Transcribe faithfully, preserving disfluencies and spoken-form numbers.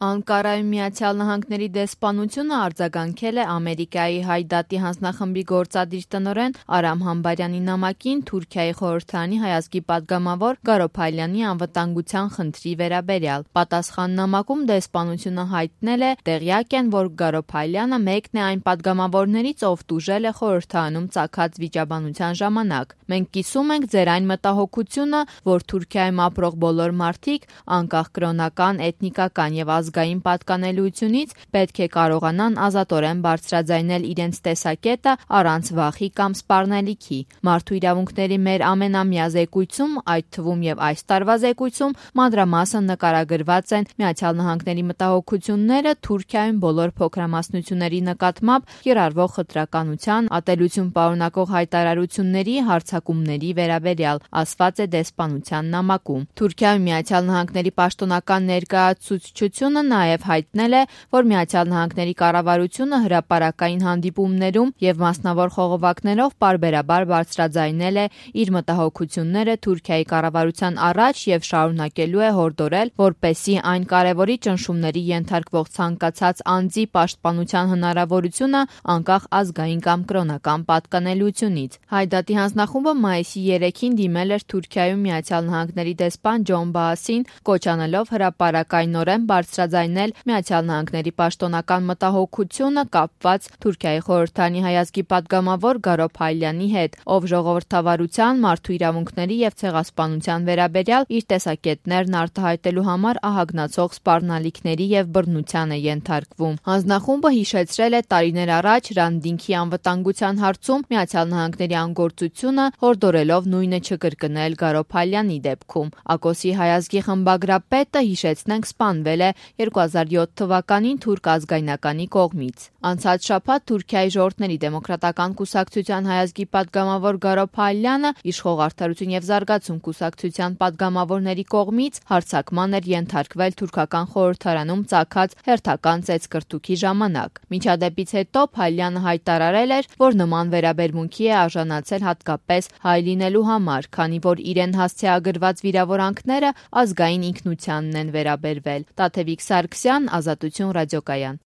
Անկարայում Միացյալ Նահանգների դեսպանությունը արձագանքել է Ամերիկայի Հայ դատի հանձնախմբի գործադիր տնօրեն Արամ Համբարյանի նամակին Թուրքիայի խորհրդարանի հայազգի պատգամավոր Գարոփայլյանի անվտանգության խնդրի վերաբերյալ։ Պատասխան նամակում դեսպանությունը հայտնել է տեղյակ են, որ Գարոփայլյանը մեկն է այն պատգամավորներից, ով տուժել է խորհրդարանում ծագած վիճաբանության ժամանակ։ Մենք կիսում ենք ձեր այն մտահոգությունը, որ Թուրքիայում ապրող բոլոր մարդիկ, անկախ կրոնական, էթնիկական եւ ազգային պատկանելությունից, պետք է կարողանան ազատորեն բարձրաձայնել իրենց տեսակետը առանց վախի կամ սպառնալիքի։ Մարդու իրավունքների մեր ամենամյա զեկույցում, այդ թվում եւ այս տարվա զեկույցում, մանրամասն նկարագրված են Միացյալ Նահանգների մտահոգությունները Թուրքիայում բոլոր փոքրամասնությունների նկատմամբ կիրառվող խտրականության, ատելություն պարունակող հայտարարությունների, հարձակումների վերաբերյալ, ասված է դեսպանության նամակում։ Թուրքիայում Միացյալ Նահանգների պաշտոնական ներկայացուցչությունը նաև հայտնել է, որ Միացյալ Նահանգների կառավարությունը հրապարակային հանդիպումներում եւ մասնավոր խողովակներով պարբերաբար բարձրաձայնել է իր մտահոգությունները Թուրքիայի կառավարության առաջ եւ շարունակելու է հորդորել, որպեսզի այն կարևորի ճնշումների ենթարկվող ցանկացած անձի պաշտպանության հնարավորությունը անկախ ազգային կամ կրոնական պատկանելությունից։ Հայ դատի հանձնախումբը մայիսի երեքին դիմել էր Թուրքիայում Միացյալ Նահանգների դեսպան Ջոն Բաասին, կոչ անելով հրապարակայնորեն բարձրաձայնել Միացյալ Նահանգների պաշտոնական մտահոգությունը կապված Թուրքիայի խորհրդարանի հայազգի պատգամավոր Գարոփայլյանի հետ, ով ժողովրդավարության, մարդու իրավունքների եւ ցեղասպանության վերաբերյալ իր տեսակետներն արտահայտելու համար ահագնացող սպառնալիքների եւ բռնության է ենթարկվում։ Հանձնախումբը հիշեցրել է տարիներ առաջ Ռանդինքի անվտանգության հարցում Միացյալ Նահանգների անգործությունը, հորդորելով նույնը չկրկնել Գարոփայլյանի դեպքում։ ԱԿՕՍ-ի հայազգի խմբագրապետը, հիշեցնենք, սպանվել է երկու հազար յոթ թվականին թուրք ազգայնականի կողմից։ Անցած շաբաթ Թուրքիայի ժողովուրդների դեմոկրատական կուսակցության հայազգի պատգամավոր Գարոփայլյանը իշխող Արդարություն եւ զարգացում կուսակցության պատգամավորների կողմից հարձակման էր ենթարկվել թուրքական խորհրդարանում ծագած հերթական ծեծկռտուքի ժամանակ։ Միջադեպից հետո Փայլյանը հայտարարել էր, որ նման վերաբերմունքի է արժանացել հատկապես հայ լինելու համար, քանի որ իրեն հասցեագրված վիրավորանքները ազգային ինքնությանն են վերաբերվել։ Տաթևիկ Սարգսյան, Ազատություն ռադիոկայան։